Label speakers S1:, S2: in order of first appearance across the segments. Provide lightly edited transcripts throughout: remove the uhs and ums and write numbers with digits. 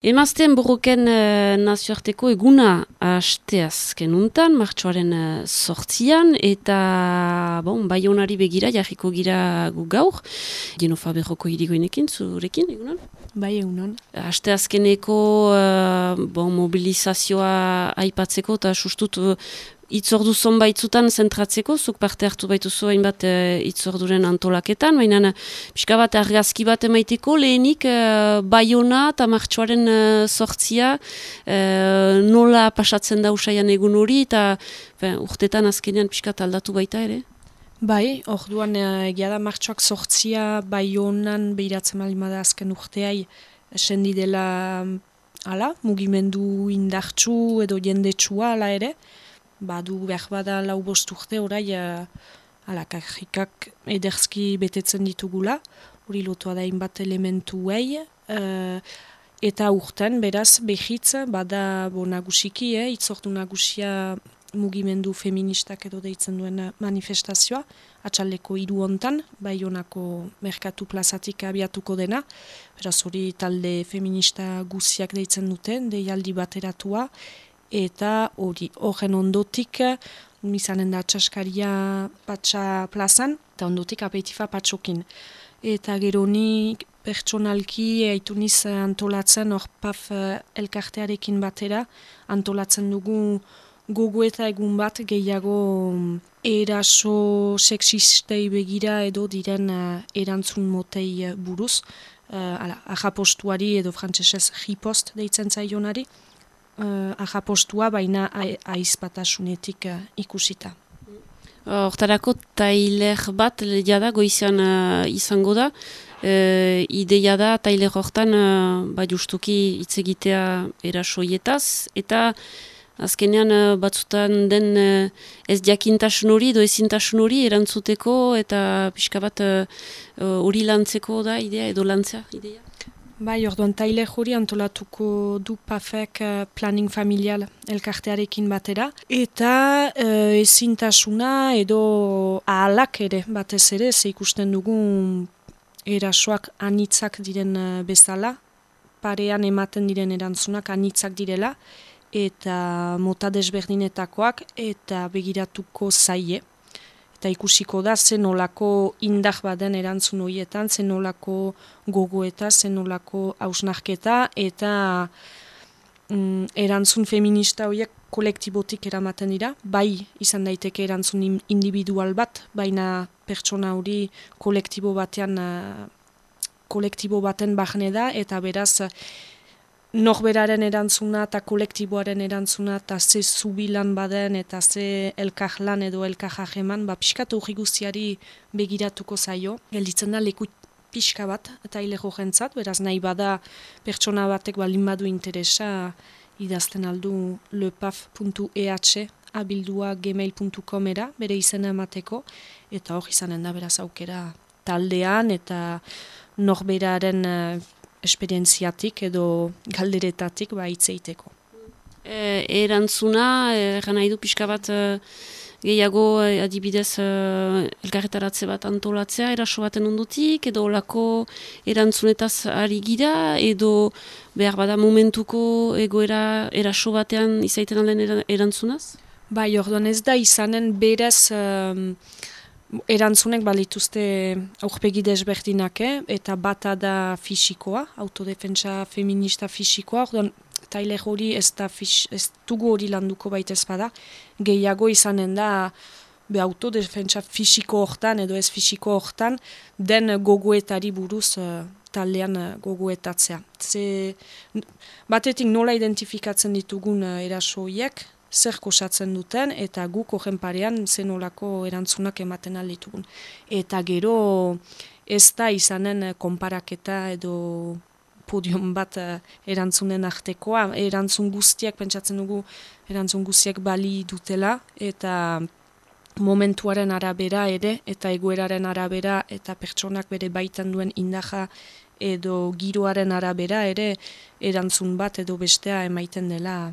S1: Emazteen borroken nazioarteko eguna asteazken untan, martxoaren 8an, eta Baionari begira jarriko gira gu gaur. Genofa berroko hirigoinekin, zurekin, egunon?
S2: Bai, egunon.
S1: Asteazkeneko mobilizazioa aipatzeko, eta sustut itzordu zonbaitzutan zentratzeko, zuk parte hartu baituzu hainbat itzorduren antolaketan, baina pixka bat argazki bat emaiteko, lehenik Baiona eta martxoaren 8a nola pasatzen da usaian egun hori, eta urtetan azkenean pixka aldatu baita ere?
S2: Bai, orduan egia da martxoak 8a Baionan behiratzen malimada azken urteai sendi dela mugimendu indartsu edo jendetsua ala ere. Badu behar bada 4-5 urte orai kajikak ederzki betetzen ditugula, hori lotua da hainbat elementuei, eta urten beraz behitz bada nagusiki, itzordu nagusia mugimendu feministak edo deitzen duen manifestazioa, atxaldeko 3 hontan, Baionako merkatu plazatik abiatuko dena, beraz hori talde feminista guziak deitzen duten, deialdi bateratua, eta horren ondotik izanen da txaskaria patxa plazan, eta ondotik apeitifa patxokin. Eta gero ni pertsonalki aituniz antolatzen hor PAF elkartearekin batera, antolatzen dugu gogo eta egun bat gehiago eraso sexistei begira edo diren erantzun motei buruz, ahapostuari edo frantsesez ripost deitzen zaionari, ahapostua baina aizpatasunetik ikusita.
S1: Hortarako tailer bat jada goizean izango da, ideia da tailer hortan justuki hitz egitea erasoietaz, eta azkenean batzutan den ez jakintasun hori edo ezintasun hori erantzuteko eta pixka bat hori lantzeko da idea edo lantzea ideia?
S2: Bai, orduan tailer hori antolatuko du PAFek planning familial elkartearekin batera. Eta ezintasuna edo ahalak ere batez ere, ze ikusten dugu erasoak anitzak diren bezala, parean ematen diren erantzunak anitzak direla, eta mota desberdinetakoak eta begiratuko zaie. Eta ikusiko da zenolako indar baden erantzun horietan, zenolako gogoeta, zenolako hausnarketa, eta erantzun feminista horiek kolektibotik eramaten dira. Bai izan daiteke erantzun individual bat, baina pertsona hori kolektibo baten bahne da, eta beraz norberaren erantzuna eta kolektiboaren erantzuna eta ze zubilan baden eta ze elkarlan edo elkarjajeman, pixkatu hori guztiari begiratuko zaio. Gelditzen da leku pixka bat eta hilego jentzat, beraz nahi bada pertsona batek balin badu interesa idazten aldu lepaf.eh abildua gmail.comera bere izena emateko, eta hor izanen da beraz aukera taldean eta norberaren esperientziatik edo galderetatik hitzeiteko.
S1: Erantzuna, nahi du pixka bat gehiago adibidez elkarretaratze bat antolatzea eraso baten ondotik, edo olako erantzunetaz ari gira, edo behar bada momentuko egoera eraso batean izaiten alden erantzunaz?
S2: Bai, orduan ez da izanen berez erantzunek balituzte aurpegi desberdinak, eta bata da fisikoa, autodefentsa feminista fisikoa, orduan tailer hori ez dugu hori landuko baitez bada, gehiago izanen da autodefentsa fisiko hortan edo ez fisiko hortan den gogoetari buruz taldean gogoetatzea. Batetik nola identifikatzen ditugun erasoiek, zer kosatzen duten, eta guk horren parean zenolako erantzunak ematen alditugun. Eta gero ez da izanen konparaketa edo podium bat erantzunen artekoa. Erantzun guztiak, pentsatzen dugu, erantzun guztiak bali dutela, eta momentuaren arabera ere, eta egoeraren arabera, eta pertsonak bere baitan duen indaja edo giroaren arabera ere, erantzun bat edo bestea emaiten dela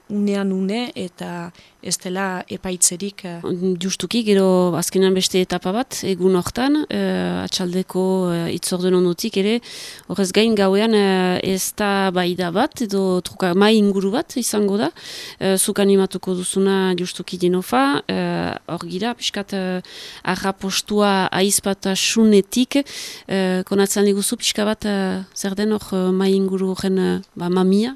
S2: unean une eta ez dela epaitzerik.
S1: Justuki, gero azkenan beste etapa bat, egun hortan, atxaldeko itzordun ondotik ere, horrez gain gauean ez da baida bat, edo truka mai inguru bat izango da, zuk animatuko duzuna justuki Dinofa, hor gira, piskat arrapostua aizpatasunetik, konatzen diguzu pixka bat, zer den hor mai inguru horren mamia?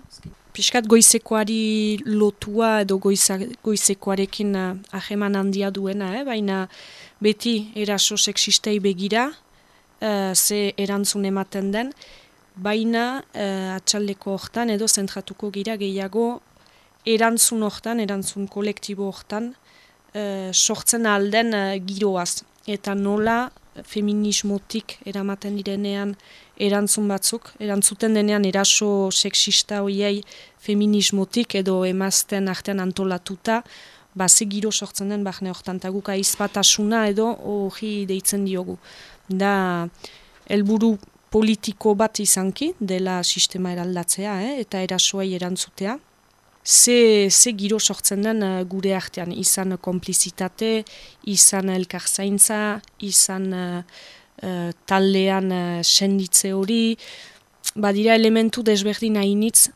S2: Piskat goizekoari lotua edo goizekoarekin aheman handia duena, baina beti eraso sexistei begira, ze erantzun ematen den, baina atxaldeko hortan edo zentratuko gira gehiago erantzun hortan, erantzun kolektibo hortan, sortzen alden giroaz. Eta nola feminismotik eramaten direnean erantzun batzuk, erantzuten denean eraso sexista hoiei feminismotik edo emazten artean antolatuta, ze giro sortzen den bahne hortan, eta guk aizpatasuna edo hori deitzen diogu. Da, helburu politiko bat izanki, dela sistema eraldatzea, eta erasoei erantzutea. Ze giro sortzen den gure artean, izan konplizitate, izan elkarzaintza, izan taldean senditze hori, badira elementu desberdin hainitz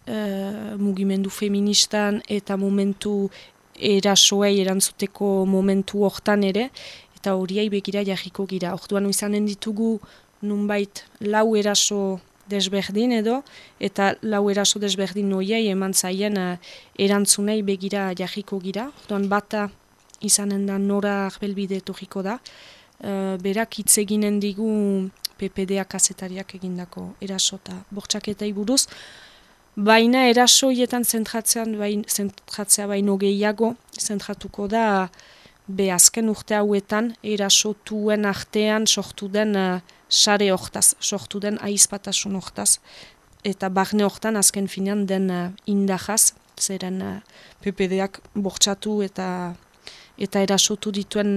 S2: mugimendu feministan eta momentu erasoei erantzuteko momentu hortan ere, eta horiei begira jarriko gira. Orduan izanen ditugu nunbait lau eraso desberdin edo, eta lau eraso desberdin horiei eman zaien erantzunei begira jarriko gira. Orduan bata izanen da Nora Arbelbide etorriko da, berak hitz eginen digu PPD kazetariak egindako eraso eta bortxaketei buruz, baina eraso hietan zentratzea baino gehiago zentratuko da azken urte hauetan erasotuen artean sortu den sare hortaz, sortu den aizpatasun hortaz, eta barne hortan azken finean den indahaz, zeren PPD-ak bortxatu eta erasotu dituen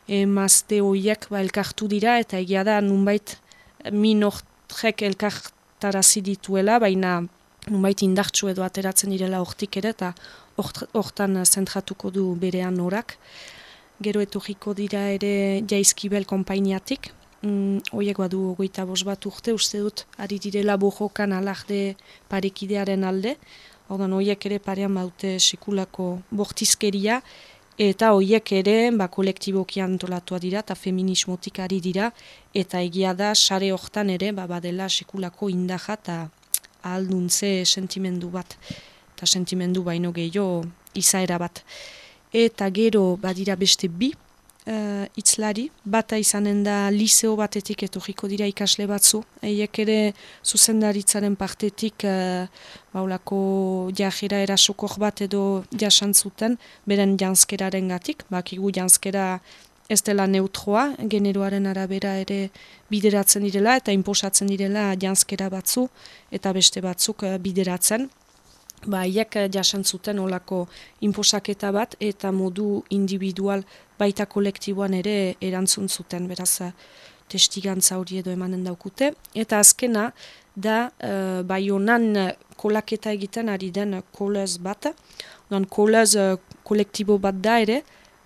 S2: emazte horiek elkartu dira, eta egia da nunbait min horrek elkartarazi dituela, baina nunbait indartsu edo ateratzen direla hortik ere, eta hortan zentratuko du berean Norak. Gero etorriko dira ere Jaizkibel konpainiatik, horiek badu 25 bat urte, uste dut ari direla bojokan alarde parekidearen alde, ordan horiek ere parean baute sekulako bortizkeria, eta horiek ere kolektiboki antolatua dira eta feminismotik ari dira, eta egia da sare hortan ere badela sekulako indaja eta ahalduntze sentimendu bat, eta sentimendu baino gehiago izaera bat. Eta gero badira beste bi hitzlari, bata izanen da liseo batetik etorriko dira ikasle batzu, eiek ere zuzendaritzaren partetik baulako jajera erasokor bat edo jasantzuten, beren janskeraren gatik, bakigu janskera ez dela neutroa, generoaren arabera ere bideratzen direla eta inposatzen direla janskera batzu eta beste batzuk bideratzen. Haiek jasantzuten olako inposaketa bat eta modu individual baita kolektiboan ere erantzun zuten, beraz testigantza hori edo emanen daukute. Eta azkena da Baionan kolaketa egiten ari den kolez bat, kolez kolektibo bat da ere,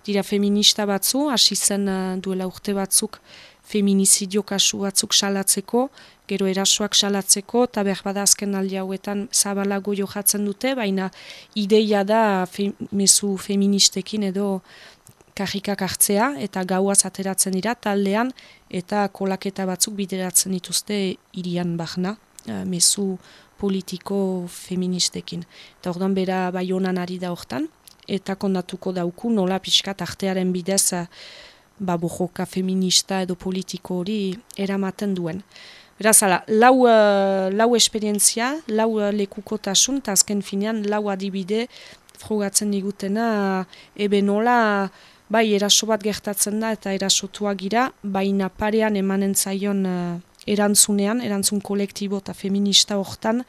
S2: dira feminista batzu, hasi zen duela urte batzuk feminizidio kasu batzuk salatzeko, gero erasoak salatzeko, eta berbada azken aldi hauetan zabalago johatzen dute, baina ideia da mezu feministekin edo karrikak hartzea, eta gauaz ateratzen dira taldean, eta kolaketa batzuk bideratzen dituzte hirian bahna, mezu politiko feministekin. Eta orduan bera Baionan ari da hortan, eta kondatuko dauku nola pixkat artearen bidez bojoka feminista edo politiko hori eramaten duen. Beraz, lau esperientzia, lau lekukotasun, eta azken finean lau adibide frogatzen digutena, nola bai eraso bat gertatzen da eta erasotua gira, baina parean emanen zaion erantzunean, erantzun kolektibo eta feminista hortan,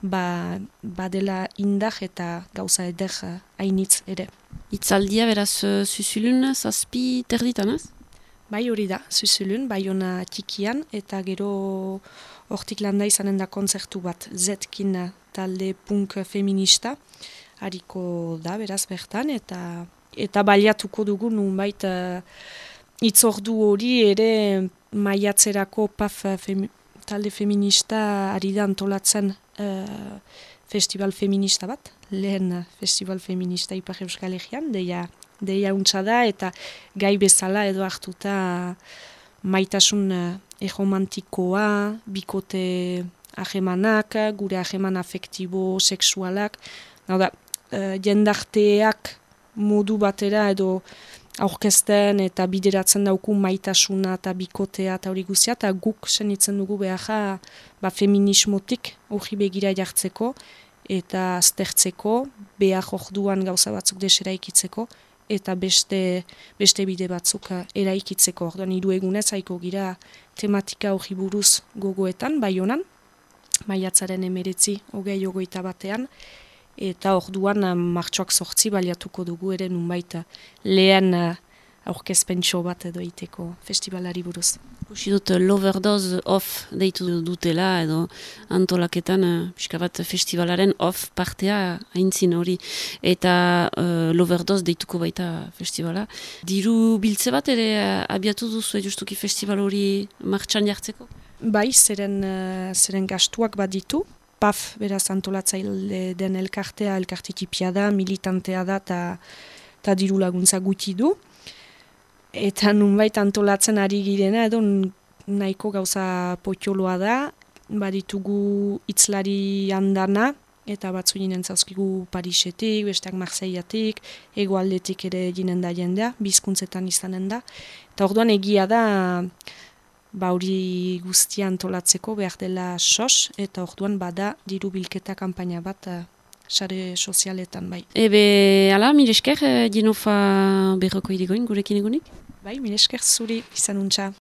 S2: badela indar eta gauza eder hainitz ere.
S1: Itzaldia beraz Zuzulun zazpi terditan, ez?
S2: Bai hori da, Zuzulun, Baiona txikian, eta gero hortik landa izanen da kontzertu bat, Zetkin talde punk feminista, hariko da, beraz bertan, eta baliatuko dugu nunbait hitzordu hori ere maiatzerako PAF talde feminista ari da antolatzen festival feminista bat, lehen festival feminista Ipar Euskal Herrian, deia untsa da, eta gai bezala edo hartuta maitasun erromantikoa, bikote ahemanak, gure aheman afektibo, sexualak, jendarteak modu batera edo aurkezten eta bideratzen dauku maitasuna eta bikotea eta hori guzia, eta guk senitzen dugu behar feminismotik hori begira jartzeko eta aztertzeko, behar orduan gauza batzuk desera ikitzeko, eta beste bide batzuk eraikitzeko. Orduan 3 egunez haiko gira tematika hori buruz gogoetan, Baionan, maiatzaren 19-21 eta orduan martxoak 8 baliatuko dugu ere nunbait lehen aurkezpentxo bat edo iteko festivalari buruz.
S1: Ikusi dut Loverdose off deitu dutela edo antolaketan pixka bat festivalaren off partea aintzin hori. Eta Loverdose deituko baita festivala. Diru biltze bat ere abiatu duzu justuki festival hori martxan jartzeko?
S2: Bai, zeren gastuak bat ditu. PAF, beraz antolatzaile den elkarte tipia da, militantea da eta diru laguntza gutxi du. Eta nunbait antolatzen ari girena, edo nahiko gauza potxoloa da, baditugu hitzlari handana, eta batzu ginen zauzkigu Parisetik, besteak Marseillatik, hegoaldetik ere ginen da jendea, bizkuntzetan izanen da. Eta orduan egia da, hori guztia antolatzeko behar dela sos, eta orduan bada diru bilketa kanpaina bat sare sozialetan bai.
S1: Ebe, ala, mire esker, Jenofa berroko irigoin, gurekin egunik?
S2: Bai, mire esker zuri, izan untxa.